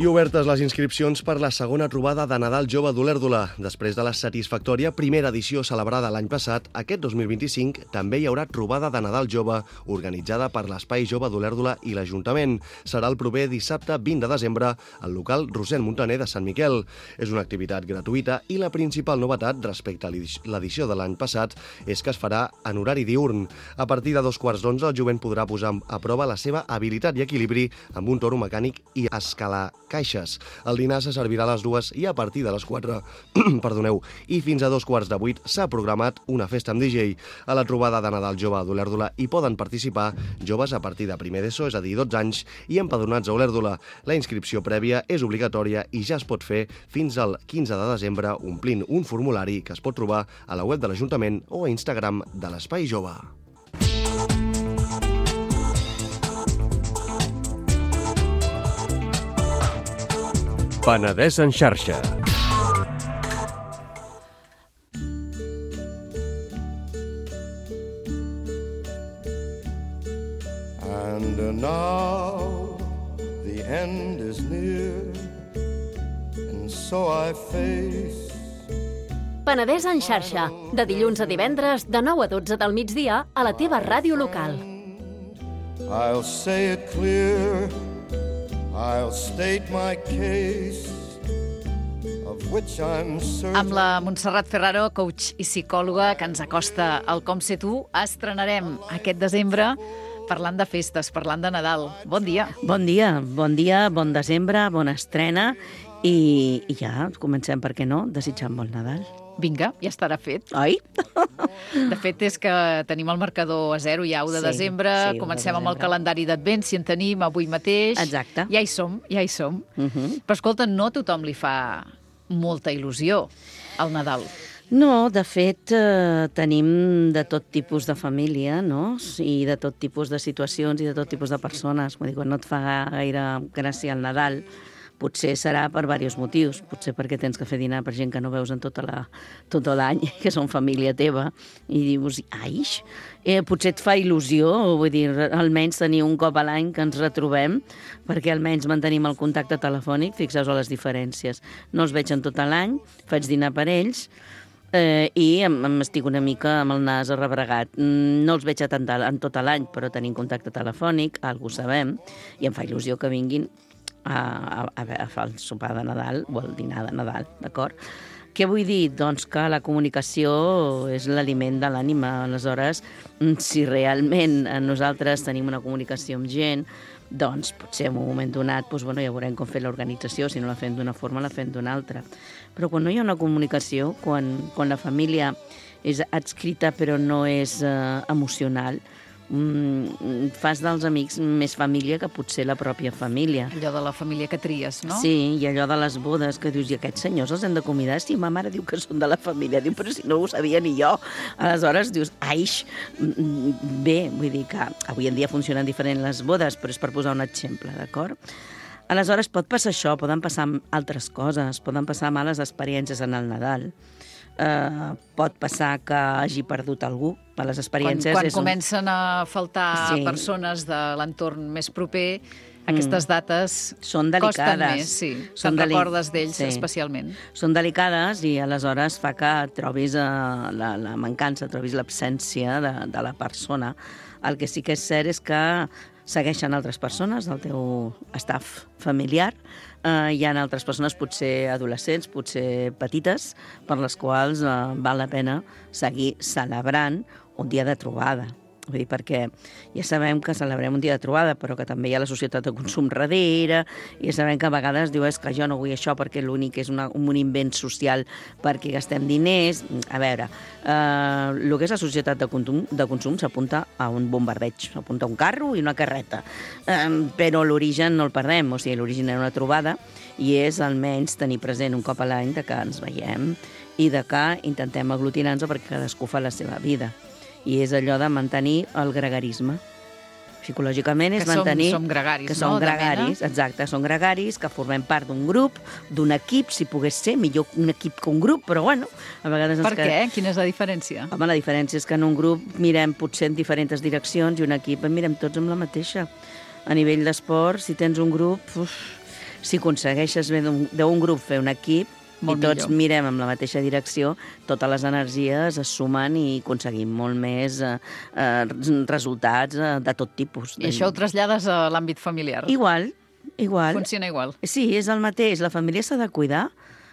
[SPEAKER 5] I obertes les inscripcions per la segona trobada de Nadal Jove d'Olèrdola. Després de la satisfactòria primera edició celebrada l'any passat, aquest 2025 també hi haurà trobada de Nadal Jove organitzada per l'Espai Jove d'Olèrdola i l'Ajuntament. Serà el proper dissabte 20 de desembre al local Rossend Montaner de Sant Miquel. És una activitat gratuïta i la principal novetat respecte a l'edició de l'any passat és que es farà en horari diürn. A partir de 2:15 el jovent podrà posar a prova la seva habilitat i equilibri amb un toro mecànic i escalar caixes. El dinar se servirà a les 2 i a partir de les 4, i fins a 2:15 s'ha programat una festa amb DJ. A la trobada de Nadal Jove d'Olèrdola hi poden participar joves a partir de primer d'ESO, és a dir, 12 anys, i empadronats a Olèrdola. La inscripció prèvia és obligatòria i ja es pot fer fins al 15 de desembre omplint un formulari que es pot trobar a la web de l'Ajuntament o a Instagram de l'Espai Jove.
[SPEAKER 1] Penedès en xarxa.
[SPEAKER 6] And now the end is near, and so I face.
[SPEAKER 7] Penedès en xarxa, de dilluns a divendres, de 9 a 12 del migdia, a la teva ràdio local.
[SPEAKER 6] I'll say it clear, I'll state my case, of which I'm certain.
[SPEAKER 3] Amb la Montserrat Ferraro, coach i psicòloga, que ens acosta al Com Ser Tu, estrenarem aquest desembre parlant de festes, parlant de Nadal. Bon dia.
[SPEAKER 8] Bon dia, bon desembre, bona estrena i ja comencem, per què no, desitjant bon Nadal.
[SPEAKER 3] Vinga, ja estarà fet.
[SPEAKER 8] Oi?
[SPEAKER 3] De fet, és que tenim el marcador a 0 ja, 1 de desembre, comencem amb el calendari d'Advent, si en tenim avui mateix.
[SPEAKER 8] Exacte.
[SPEAKER 3] Ja hi som. Però escolta, no a tothom li fa molta il·lusió el Nadal.
[SPEAKER 8] No, de fet, tenim de tot tipus de família, no? I de tot tipus de situacions i de tot tipus de persones. Vull dir, quan no et fa gaire gràcia el Nadal, potser serà per diversos motius. Potser perquè tens que fer dinar per gent que no veus en tot l'any, que són família teva, i dius, aix, potser et fa il·lusió, vull dir, almenys tenir un cop a l'any que ens retrobem, perquè almenys mantenim el contacte telefònic, fixeu-vos a les diferències. No els veig en tot l'any, faig dinar per ells, i m'estic una mica amb el nas arrebregat. No els veig en tot l'any, però tenim contacte telefònic, algú sabem, i em fa il·lusió que vinguin a fer el sopar de Nadal o el dinar de Nadal, d'acord? Què vull dir? Doncs que la comunicació és l'aliment de l'ànima. Aleshores, si realment nosaltres tenim una comunicació amb gent, doncs potser en un moment donat ja veurem com fer l'organització, si no la fem d'una forma, la fem d'una altra. Però quan no hi ha una comunicació, quan la família és adscrita però no és emocional, fas dels amics més família que potser la pròpia família.
[SPEAKER 3] Allò de la família que tries, no?
[SPEAKER 8] Sí, i allò de les bodes, que dius, i aquests senyors els hem de convidar? Sí, ma mare diu que són de la família. Diu, però si no ho sabia ni jo. Aleshores dius, aix, bé, vull dir que avui en dia funcionen diferent les bodes, però és per posar un exemple, d'acord? Aleshores pot passar això, poden passar altres coses, poden passar males experiències en el Nadal. Pot passar que hagi perdut algú. Les experiències
[SPEAKER 3] quan comencen a faltar persones de l'entorn més proper, aquestes dates
[SPEAKER 8] són delicades.
[SPEAKER 3] Costen més, sí. Te'n recordes d'ells especialment.
[SPEAKER 8] Són delicades i aleshores fa que trobis la mancança, trobis l'absència de la persona. El que sí que és cert és que segueixen altres persones del teu staff familiar. Hi ha altres persones, potser adolescents, potser petites, per les quals val la pena seguir celebrant un dia de trobada. Vull dir, perquè ja sabem que celebrem un dia de trobada, però que també hi ha la societat de consum darrere, i ja sabem que a vegades diu, és que jo no vull això perquè l'únic és un invent social perquè gastem diners. A veure, el que és la societat de consum s'apunta a un bombardeig, s'apunta a un carro i una carreta, però l'origen no el perdem, o sigui, l'origen era una trobada, i és almenys tenir present un cop a l'any de que ens veiem i de que intentem aglutinar-nos perquè cadascú fa la seva vida. I és allò de mantenir el gregarisme. Psicològicament és mantenir...
[SPEAKER 3] Som gregaris,
[SPEAKER 8] que som gregaris, exacte, som gregaris, que formem part d'un grup, d'un equip, si pogués ser, millor un equip que un grup, però bueno, a vegades...
[SPEAKER 3] Per què? Quina és la diferència?
[SPEAKER 8] Home, la diferència és que en un grup mirem potser en diferents direccions i un equip en mirem tots amb la mateixa. A nivell d'esport, si tens un grup, si aconsegueixes bé d'un grup fer un equip, i tots mirem en la mateixa direcció, totes les energies es sumen i aconseguim molt més resultats de tot tipus.
[SPEAKER 3] I això ho trasllades a l'àmbit familiar?
[SPEAKER 8] Igual.
[SPEAKER 3] Funciona igual?
[SPEAKER 8] Sí, és el mateix. La família s'ha de cuidar,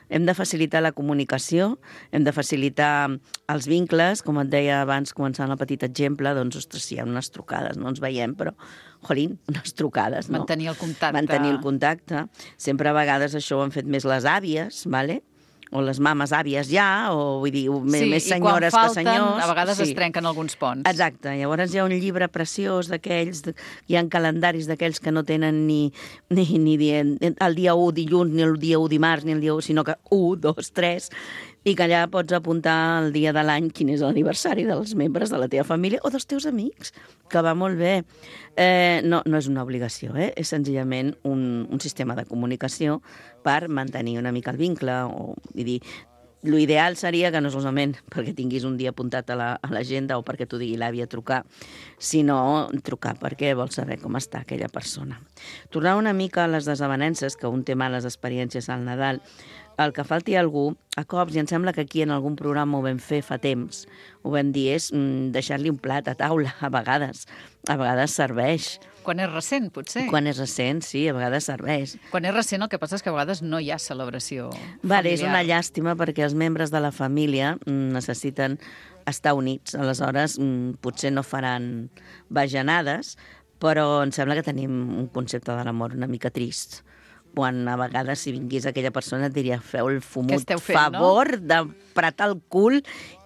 [SPEAKER 8] hem de facilitar la comunicació, hem de facilitar els vincles, com et deia abans, començant el petit exemple, doncs, ostres, si hi ha unes trucades, no ens veiem, però, jolín, unes trucades, no?
[SPEAKER 3] Mantenir el contacte.
[SPEAKER 8] Mantenir el contacte. Sempre a vegades això ho han fet més les àvies, ¿vale? O les mames àvies ja, o vull dir, més senyores que senyors.
[SPEAKER 3] Sí, i quan falten, a vegades es trenquen alguns ponts.
[SPEAKER 8] Exacte, llavors hi ha un llibre preciós d'aquells, hi ha calendaris d'aquells que no tenen ni el dia 1 dilluns, ni el dia 1 dimarts, ni el dia 1, sinó que 1, 2, 3, i que allà pots apuntar el dia de l'any quin és l'aniversari dels membres de la teva família o dels teus amics, que va molt bé. No és una obligació, és senzillament un sistema de comunicació per mantenir una mica el vincle, o vull dir, l'ideal seria que no solament perquè tinguis un dia apuntat a l'agenda o perquè t'ho digui l'àvia trucar, sinó trucar perquè vols saber com està aquella persona. Tornar una mica a les desavenences, que un té males experiències al Nadal, el que falti algú, a cops, i em sembla que aquí en algun programa ho vam fer fa temps, ho vam dir, és deixar-li un plat a taula, a vegades serveix.
[SPEAKER 3] Quan és recent, potser.
[SPEAKER 8] Quan és recent, sí, a vegades serveix.
[SPEAKER 3] Quan és recent, el que passa és que a vegades no hi ha celebració familiar.
[SPEAKER 8] Vale, és una llàstima perquè els membres de la família necessiten estar units. Aleshores, potser no faran bajanades, però em sembla que tenim un concepte de l'amor una mica trist. Quan a vegades, si vingués aquella persona, et diria, feu el fumut favor d'apretar el cul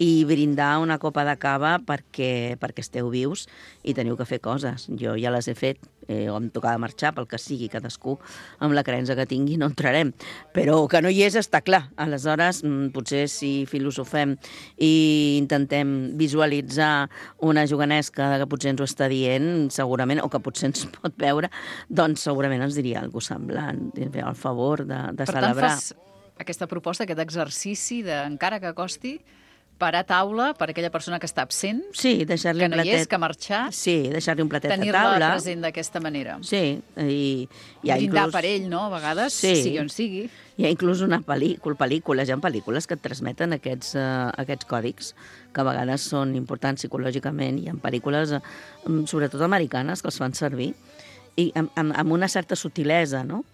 [SPEAKER 8] i brindar una copa de cava perquè esteu vius i teniu que fer coses. Jo ja les he fet, o em tocava marxar, pel que sigui, cadascú amb la creença que tingui no entrarem. Però que no hi és, està clar. Aleshores, potser si filosofem i intentem visualitzar una jovenesca que potser ens ho està dient, segurament, o que potser ens pot veure, doncs segurament ens diria alguna cosa semblant, fer el favor de celebrar.
[SPEAKER 3] Per tant, fas aquesta proposta, aquest exercici de, encara que costi, parar taula per aquella persona que està absent,
[SPEAKER 8] sí, deixar-li
[SPEAKER 3] que no hi és, que ha marxat,
[SPEAKER 8] sí, deixar-li un platet a taula.
[SPEAKER 3] Tenir-la present d'aquesta manera.
[SPEAKER 8] Sí.
[SPEAKER 3] Brindar per ell, no?, a vegades,
[SPEAKER 8] sí.
[SPEAKER 3] sigui on sigui.
[SPEAKER 8] Hi ha inclús pel·lícules, hi ha pel·lícules que et transmeten aquests còdics, que a vegades són importants psicològicament. Hi ha pel·lícules, sobretot americanes, que els fan servir, i amb una certa sutilesa, no?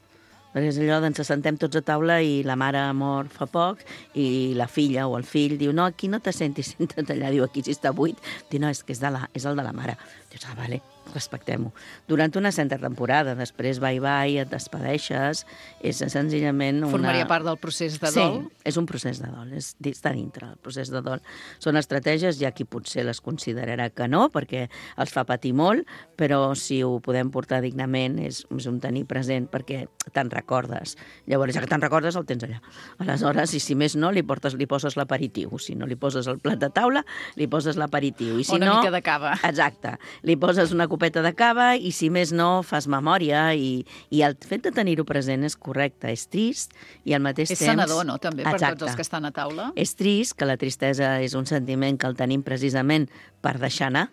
[SPEAKER 8] Perquè és allò d'ens assentem tots a taula i la mare mor fa poc i la filla o el fill diu, no, aquí no te sentis, senta't allà, diu, aquí si està buit, diu, no, és que és el de la mare. Dius, vale, respectem-ho. Durant una certa temporada, després bye-bye, et despedeixes, és senzillament una...
[SPEAKER 3] Formaria part del procés de dol?
[SPEAKER 8] Sí, és un procés de dol, està dintre del procés de dol. Són estratègies, hi ha qui potser les considerarà que no, perquè els fa patir molt, però si ho podem portar dignament és un tenir present, perquè te'n recordes. Llavors, ja que te'n recordes, el tens allà. Aleshores, i si més no, li poses l'aperitiu. Si no li poses el plat de taula, li poses l'aperitiu. I si
[SPEAKER 3] una
[SPEAKER 8] no,
[SPEAKER 3] mica de cava.
[SPEAKER 8] Exacte. Li poses una copeta de cava i, si més no, fas memòria i el fet de tenir-ho present és correcte, és trist i al mateix temps...
[SPEAKER 3] És sanador, no?, també, per
[SPEAKER 8] Exacte.
[SPEAKER 3] tots els que estan a taula.
[SPEAKER 8] És trist, que la tristesa és un sentiment que el tenim precisament per deixar anar.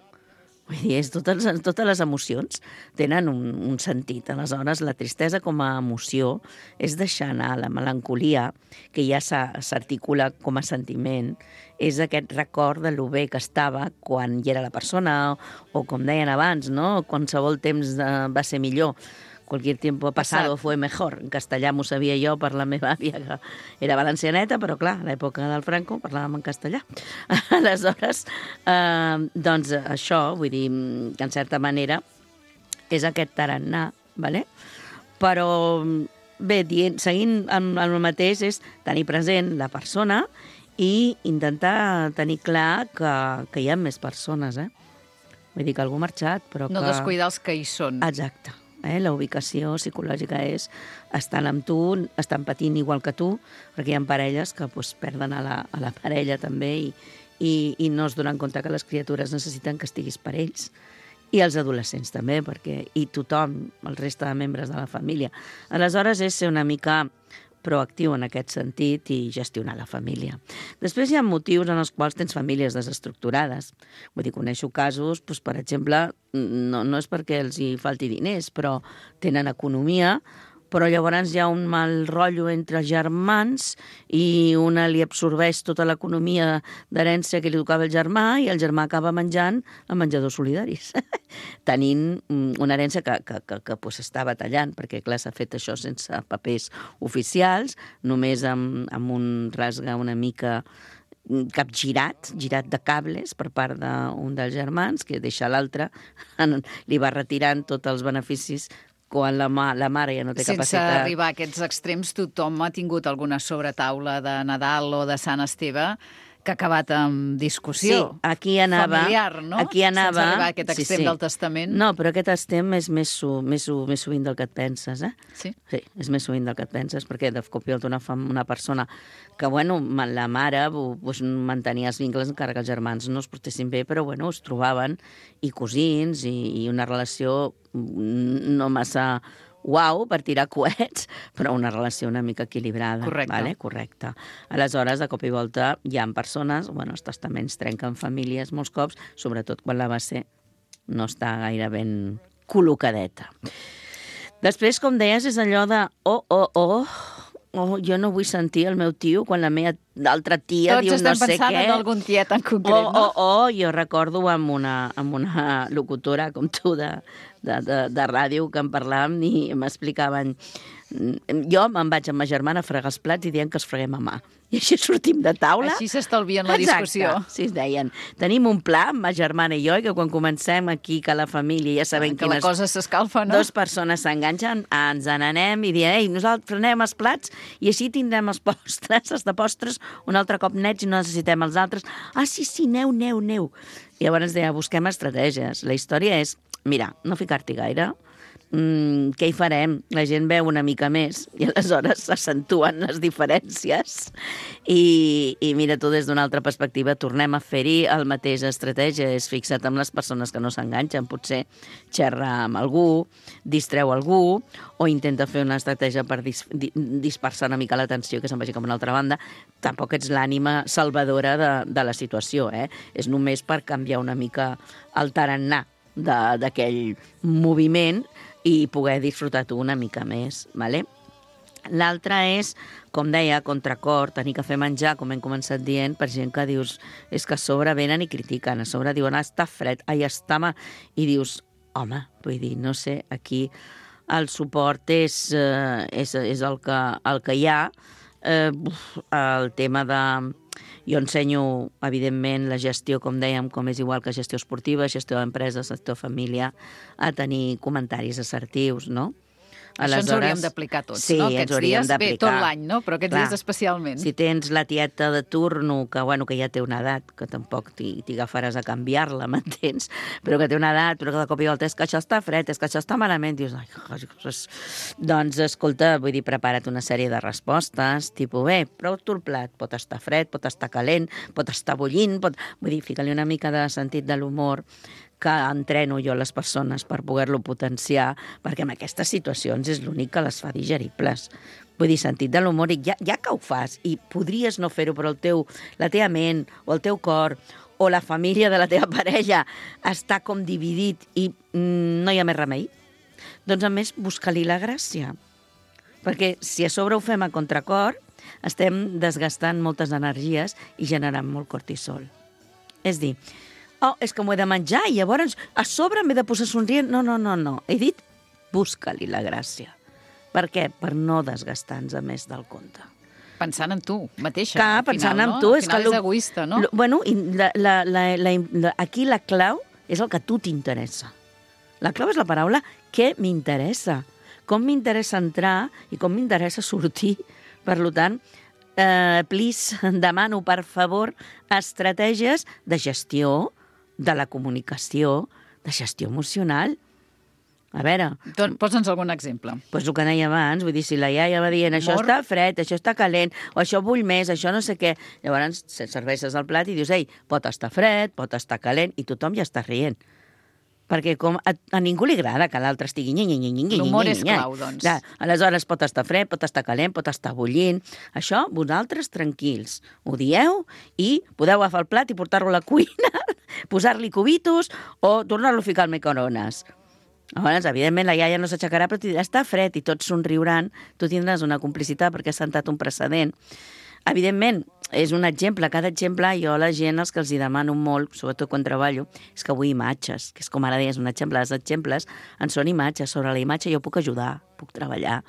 [SPEAKER 8] Vull dir, totes les emocions tenen un sentit. Aleshores, la tristesa com a emoció és deixar anar. La melancolia, que ja s'articula com a sentiment, és aquest record de lo bé que estava quan hi era la persona, o com deien abans, no? Qualsevol temps va ser millor. Cualquier tiempo pasado fue mejor. En castellà m'ho sabia jo per la meva àvia, que era valencianeta, però clar, a l'època del Franco parlàvem en castellà. Aleshores, doncs això, vull dir, que en certa manera és aquest tarannà, ¿vale? Però bé, seguint amb el mateix, és tenir present la persona i intentar tenir clar que hi ha més persones, eh? Vull dir que algú ha marxat, però
[SPEAKER 3] no descuidar els que hi són.
[SPEAKER 8] Exacte. La ubicació psicològica és estan amb tu, estan patint igual que tu, perquè hi ha parelles que perden a la parella també i no es donen compte que les criatures necessiten que estiguis per ells. I els adolescents també, i tothom, el reste de membres de la família. Aleshores és ser una mica proactiu en aquest sentit i gestionar la família. Després hi ha motius en els quals tens famílies desestructurades. Vull dir, coneixo casos, doncs, per exemple, no és perquè els hi falti diners, però tenen economia, però llavors hi ha un mal rotllo entre germans i una li absorbeix tota l'economia d'herència que li tocava el germà i el germà acaba menjant a menjadors solidaris, tenint una herència que està batallant, perquè clar, s'ha fet això sense papers oficials, només amb un rasga una mica girat de cables per part d'un dels germans, que deixa l'altre, li va retirant tots els beneficis quan la mare ja no té capacitat.
[SPEAKER 3] Sense arribar a aquests extrems, tothom ha tingut alguna sobretaula de Nadal o de Sant Esteve que ha acabat amb discussió.
[SPEAKER 8] Sí, aquí anava,
[SPEAKER 3] familiar, no?
[SPEAKER 8] Aquí anava,
[SPEAKER 3] sense arribar a aquest extrem del testament.
[SPEAKER 8] No, però aquest extrem és més sovint del que et penses, eh?
[SPEAKER 3] Sí?
[SPEAKER 8] Sí, és més sovint del que et penses, perquè de cop i volta una persona que, bueno, la mare mantenia els vincles encara que els germans no es portessin bé, però, bueno, es trobaven, i cosins, i una relació no massa uau per tirar coets, però una relació una mica equilibrada.
[SPEAKER 3] Correcte.
[SPEAKER 8] Vale? Correcte. Aleshores, de cop i volta, hi ha persones, els testaments trenquen famílies molts cops, sobretot quan la base no està gaire ben col·locadeta. Després, com deies, és allò de jo no vull sentir el meu tio quan la meva altra tia diu no sé què.
[SPEAKER 3] Tots estem pensant en algun tiet en concret, no?
[SPEAKER 8] Jo recordo amb una locutora com tu de ràdio que en parlàvem i m'explicaven. Jo me'n vaig amb ma germana a fregar els plats i dient que els freguem a mà. I així sortim de taula.
[SPEAKER 3] Així s'estalvien la discussió.
[SPEAKER 8] Exacte, sí, es deien. Tenim un pla, ma germana i jo, que quan comencem aquí, que la família ja sabem
[SPEAKER 3] que la cosa s'escalfa, no?
[SPEAKER 8] Dues persones s'enganxen, ens n'anem i diem, ei, nosaltres frenem els plats i així tindrem els postres, els de postres, un altre cop nets i no necessitem els altres. Ah, sí, neu. I llavors deia, busquem estratègies. La història és, mira, no ficar-t'hi gaire, què hi farem? La gent veu una mica més i aleshores s'accentuen les diferències i mira tu des d'una altra perspectiva tornem a fer-hi el mateix estratègia, és fixa't amb les persones que no s'enganxen, potser xerra amb algú, distreu algú o intenta fer una estratègia per dispersar una mica l'atenció que se'n vagi cap a una altra banda. Tampoc ets l'ànima salvadora de la situació, és només per canviar una mica el tarannà d'aquell moviment i poder disfrutar tu una mica més, ¿vale? L'altre és, com deia, contracor, tenir que fer menjar, com hem començat dient, per gent que dius, és que a sobre venen i critiquen, a sobre diuen, està fred, i dius, home, vull dir, no sé, aquí el suport és el que hi ha, el tema de... Jo ensenyo, evidentment, la gestió, com dèiem, com és igual que gestió esportiva, gestió d'empresa, gestió de família, a tenir comentaris assertius, no?
[SPEAKER 3] Això ens hauríem d'aplicar tots,
[SPEAKER 8] sí,
[SPEAKER 3] no?
[SPEAKER 8] Aquests dies, bé,
[SPEAKER 3] tot l'any, no? Però aquests dies especialment.
[SPEAKER 8] Si tens la tieta de turno, que ja té una edat, que tampoc t'hi agafaràs a canviar-la, m'entens? Però que té una edat, però que de cop i volta és que això està fred, és que això està malament, dius, doncs, escolta, vull dir, prepara't una sèrie de respostes, tipus, bé, prou tu el plat, pot estar fred, pot estar calent, pot estar bullint, vull dir, fica-li una mica de sentit de l'humor, que entreno jo a les persones per poder-lo potenciar, perquè en aquestes situacions és l'únic que les fa digeribles. Vull dir, sentit de l'humor, i ja que ho fas, i podries no fer-ho, però la teva ment o el teu cor o la família de la teva parella està com dividit i no hi ha més remei, doncs a més busca-li la gràcia. Perquè si a sobre ho fem a contracor, estem desgastant moltes energies i generant molt cortisol. És dir, és que m'ho he de menjar i llavors a sobre m'he de posar somrient. No. He dit, busca-li la gràcia. Per què? Per no desgastar-nos més del compte.
[SPEAKER 3] Pensant en tu mateixa.
[SPEAKER 8] Clar, pensant en tu.
[SPEAKER 3] Al final és egoista, no?
[SPEAKER 8] Bueno, aquí la clau és el que a tu t'interessa. La clau és la paraula què m'interessa. Com m'interessa entrar i com m'interessa sortir. Per tant, please, demano, per favor, estratègies de gestió, de la comunicació, de gestió emocional. A veure...
[SPEAKER 3] Posa'ns algun exemple.
[SPEAKER 8] Doncs el que deia abans, vull dir, si la iaia va dient això està fred, això està calent, o això bull més, això no sé què, llavors serveixes el plat i dius, ei, pot estar fred, pot estar calent, i tothom ja està rient. Perquè com a ningú li agrada que l'altre estigui...
[SPEAKER 3] L'humor és clau, doncs.
[SPEAKER 8] Ja, aleshores pot estar fred, pot estar calent, pot estar bullint. Això, vosaltres tranquils. Ho dieu i podeu agafar el plat i portar-lo a la cuina, posar-li cubitos o tornar-lo a ficar al microones. Llavors, evidentment, la iaia no s'aixecarà, però t'hi dirà, està fred, i tots somriuran. Tu tindràs una complicitat perquè has sentat un precedent. Evidentment, és un exemple. Cada exemple, jo a la gent, els que els hi demano molt, sobretot quan treballo, és que vull imatges, que és com ara deies, un exemple. Els exemples en són imatges. Sobre la imatge jo puc ajudar, puc treballar,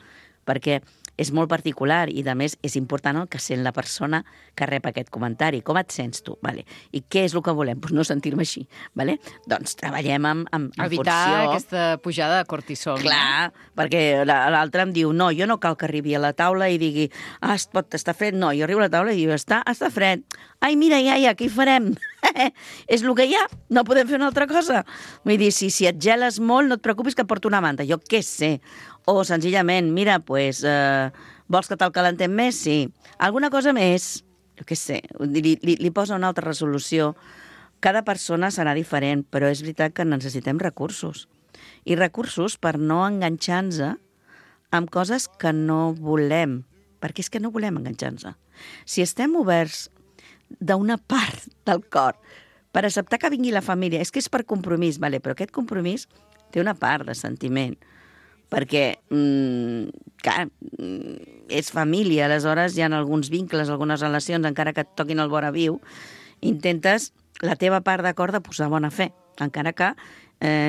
[SPEAKER 8] perquè és molt particular i, a més, és important el que sent la persona que rep aquest comentari. Com et sents tu? Vale. I què és el que volem? Pues no sentir-me així. Vale? Doncs treballem en
[SPEAKER 3] evitar
[SPEAKER 8] funció...
[SPEAKER 3] aquesta pujada de cortisol.
[SPEAKER 8] Clar, perquè l'altre em diu, no, jo no cal que arribi a la taula i digui, pot estar fred. No, jo arribo a la taula i diu, està fred. Ai, mira, iaia, què hi farem? És el que hi ha, no podem fer una altra cosa. Vull dir, si et geles molt, no et preocupis que porto una manta, jo què sé. O senzillament, mira, pues, vols que te'l calentem més? Sí. Alguna cosa més? Jo què sé, li posa una altra resolució. Cada persona serà diferent, però és veritat que necessitem recursos. I recursos per no enganxar-nos amb coses que no volem, perquè és que no volem enganxar-nos. Si estem oberts d'una part del cor per acceptar que vingui la família, és que és per compromís, vale, però aquest compromís té una part de sentiment, perquè, clar, és família, aleshores hi ha alguns vincles, algunes relacions, encara que et toquin el vora viu, intentes la teva part d'acord de posar bona fe, encara que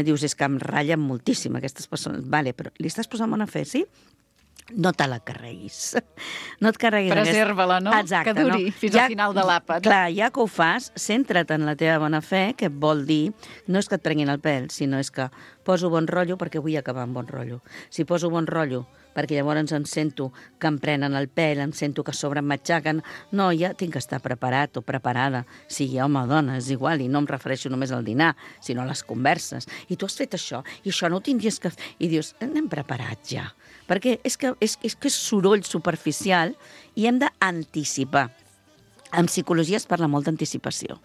[SPEAKER 8] dius, és que em ratllen moltíssim aquestes persones. Vale, però li estàs posant bona fe, sí? No te la carreguis. No et carreguis.
[SPEAKER 3] Preserva-la, no?
[SPEAKER 8] Exacte,
[SPEAKER 3] que duri fins al final de l'àpat.
[SPEAKER 8] Clar, ja que ho fas, centra't en la teva bona fe, que vol dir, no és que et prenguin el pèl, sinó és que poso bon rotllo perquè vull acabar amb bon rotllo. Si poso bon rotllo perquè llavors em sento que em prenen el pèl, em sento que a sobre em matxaquen, no, ja tinc que estar preparat o preparada, sigui home o dona, és igual, i no em refereixo només al dinar, sinó a les converses. I tu has fet això, i això no ho tindries que fer. I dius, anem preparats ja. Perquè és que és soroll superficial i hem d'anticipar. En psicologia es parla molt d'anticipació.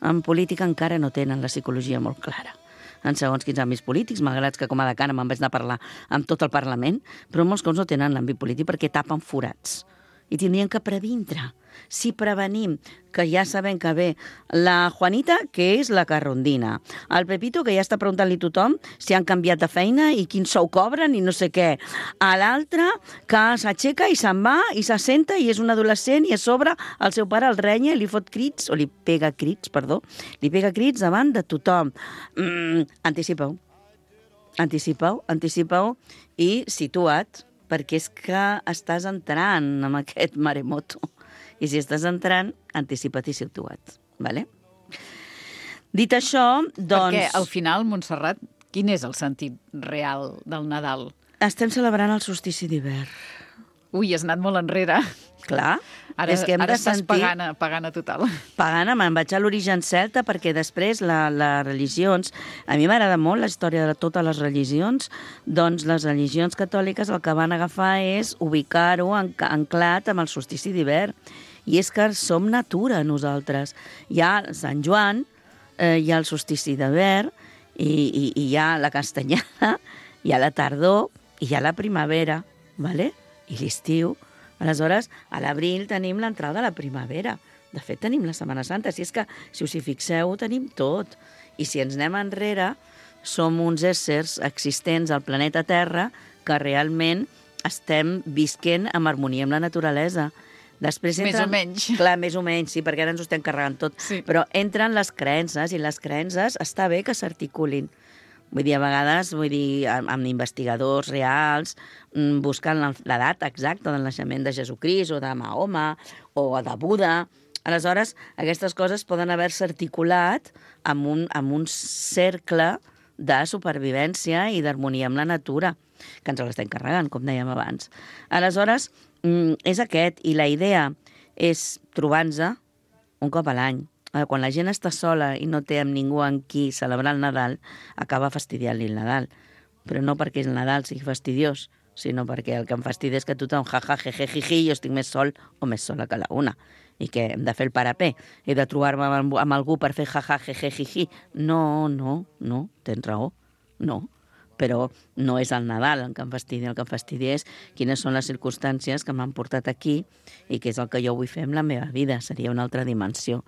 [SPEAKER 8] En política encara no tenen la psicologia molt clara. En segons quins àmbits polítics, malgrat que com a decana me'n vaig anar a parlar amb tot el Parlament, però molts cops no tenen l'àmbit polític perquè tapen forats. I tindrien que previndre. Si prevenim, que ja sabem que ve la Juanita, que és la carrondina, el Pepito, que ja està preguntant-li a tothom si han canviat de feina i quin sou cobren i no sé què, a l'altre que s'aixeca i se'n va i s'assenta i és un adolescent i a sobre el seu pare el renya i li fot crits, o li pega crits davant de tothom. Anticipeu i situa't, perquè és que estàs entrant en aquest maremoto. I si estàs entrant, anticipa't i situa't. Vale? Dit això, doncs...
[SPEAKER 3] Perquè al final, Montserrat, quin és el sentit real del Nadal?
[SPEAKER 8] Estem celebrant el solstici d'hivern.
[SPEAKER 3] Ui, has anat molt enrere.
[SPEAKER 8] Clar,
[SPEAKER 3] ara,
[SPEAKER 8] és que hem
[SPEAKER 3] ara
[SPEAKER 8] de
[SPEAKER 3] estàs
[SPEAKER 8] sentir...
[SPEAKER 3] pagana total.
[SPEAKER 8] Pagana, me'n vaig a l'origen celta perquè després les religions... A mi m'agrada molt la història de totes les religions, doncs les religions catòliques el que van agafar és ubicar-ho anclat amb el solstici d'hivern. I és que som natura, nosaltres. Hi ha Sant Joan, hi ha el solstici d'hivern, i hi ha la castanyada, hi ha la tardor, i hi ha la primavera, ¿vale? I l'estiu. Aleshores, a l'abril tenim l'entrada de la primavera. De fet, tenim la Setmana Santa. Si és que, si us hi fixeu, tenim tot. I si ens anem enrere, som uns éssers existents al planeta Terra que realment estem visquent en harmonia amb la naturalesa. Després entren...
[SPEAKER 3] Més o menys.
[SPEAKER 8] Clar, més o menys, sí, perquè ara ens ho estem carregant tot.
[SPEAKER 3] Sí.
[SPEAKER 8] Però entren les creences, i les creences està bé que s'articulin. Vull dir, a vegades, amb investigadors reals, buscant la data exacta del naixement de Jesucrist, o de Mahoma, o de Buda. Aleshores, aquestes coses poden haver-se articulat amb un cercle de supervivència i d'harmonia amb la natura, que ens l'estem carregant, com dèiem abans. Aleshores, és aquest, i la idea és trobar-nos un cop a l'any. Quan la gent està sola i no té amb ningú amb qui celebrar el Nadal, acaba fastidiant-li el Nadal. Però no perquè el Nadal sigui fastidiós, sinó perquè el que em fastidia és que tothom jaja, jeje, jiji, jo estic més sol o més sola que la una. I que hem de fer el parapé. He de trobar-me amb algú per fer jaja, jeje, jiji. No, tens raó, no. Però no és el Nadal el que em fastidia. El que em fastidia és quines són les circumstàncies que m'han portat aquí i què és el que jo vull fer amb la meva vida. Seria una altra dimensió,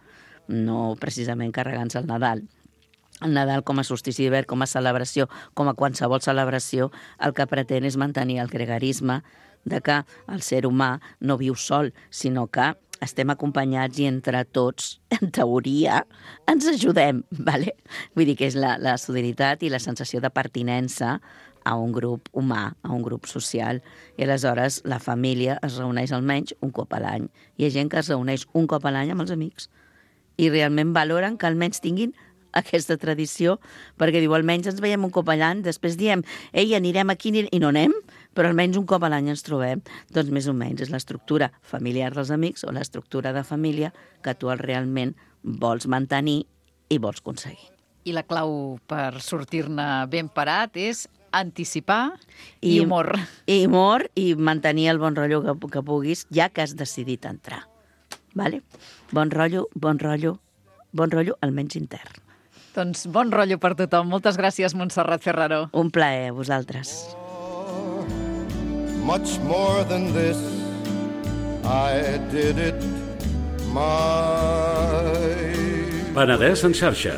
[SPEAKER 8] no precisament carregant-se el Nadal. El Nadal com a solstici d'hivern, com a celebració, com a qualsevol celebració, el que pretén és mantenir el gregarisme de que el ser humà no viu sol, sinó que estem acompanyats i entre tots, en teoria, ens ajudem, ¿vale? Vull dir que és la solidaritat i la sensació de pertinença a un grup humà, a un grup social. I aleshores la família es reuneix almenys un cop a l'any. Hi ha gent que es reuneix un cop a l'any amb els amics i realment valoren que almenys tinguin aquesta tradició, perquè diu, almenys ens veiem un cop a l'any, després diem, ei, anirem aquí i no anem, però almenys un cop a l'any ens trobem. Doncs més o menys és l'estructura familiar dels amics o l'estructura de família que tu realment vols mantenir i vols aconseguir.
[SPEAKER 3] I la clau per sortir-ne ben parat és anticipar i humor.
[SPEAKER 8] I humor i mantenir el bon rotllo que puguis, ja que has decidit entrar. Vale? Bon rotllo, almenys intern.
[SPEAKER 3] Doncs bon rotllo per tothom. Moltes gràcies, Montserrat Ferraró.
[SPEAKER 8] Un plaer, vosaltres.
[SPEAKER 6] much more than this. I did it my
[SPEAKER 2] Penedès en xarxa.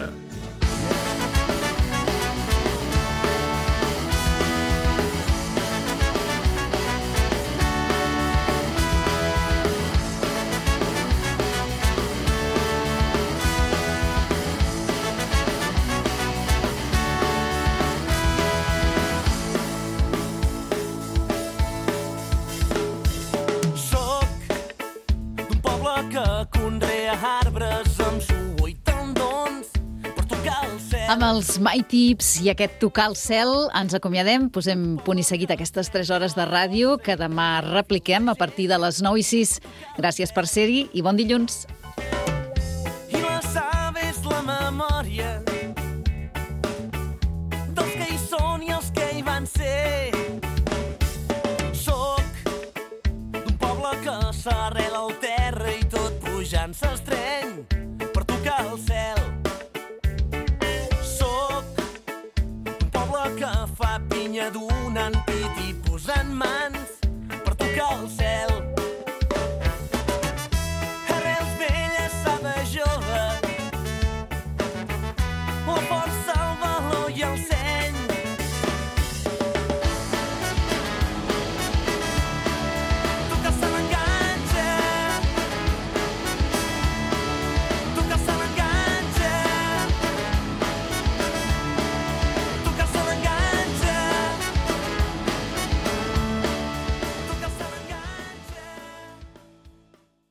[SPEAKER 3] Amb els My Tips i aquest tocar el cel ens acomiadem, posem punt i seguit aquestes 3 hores de ràdio que demà repliquem a partir de les 9:06. Gràcies per ser-hi i bon dilluns.
[SPEAKER 9] I la saba és la memòria dels que hi són i els que hi van ser. Soc d'un poble que s'arrela al terra i tot pujant s'estreny per tocar el cel. Que fa pinya donant pit i posant mans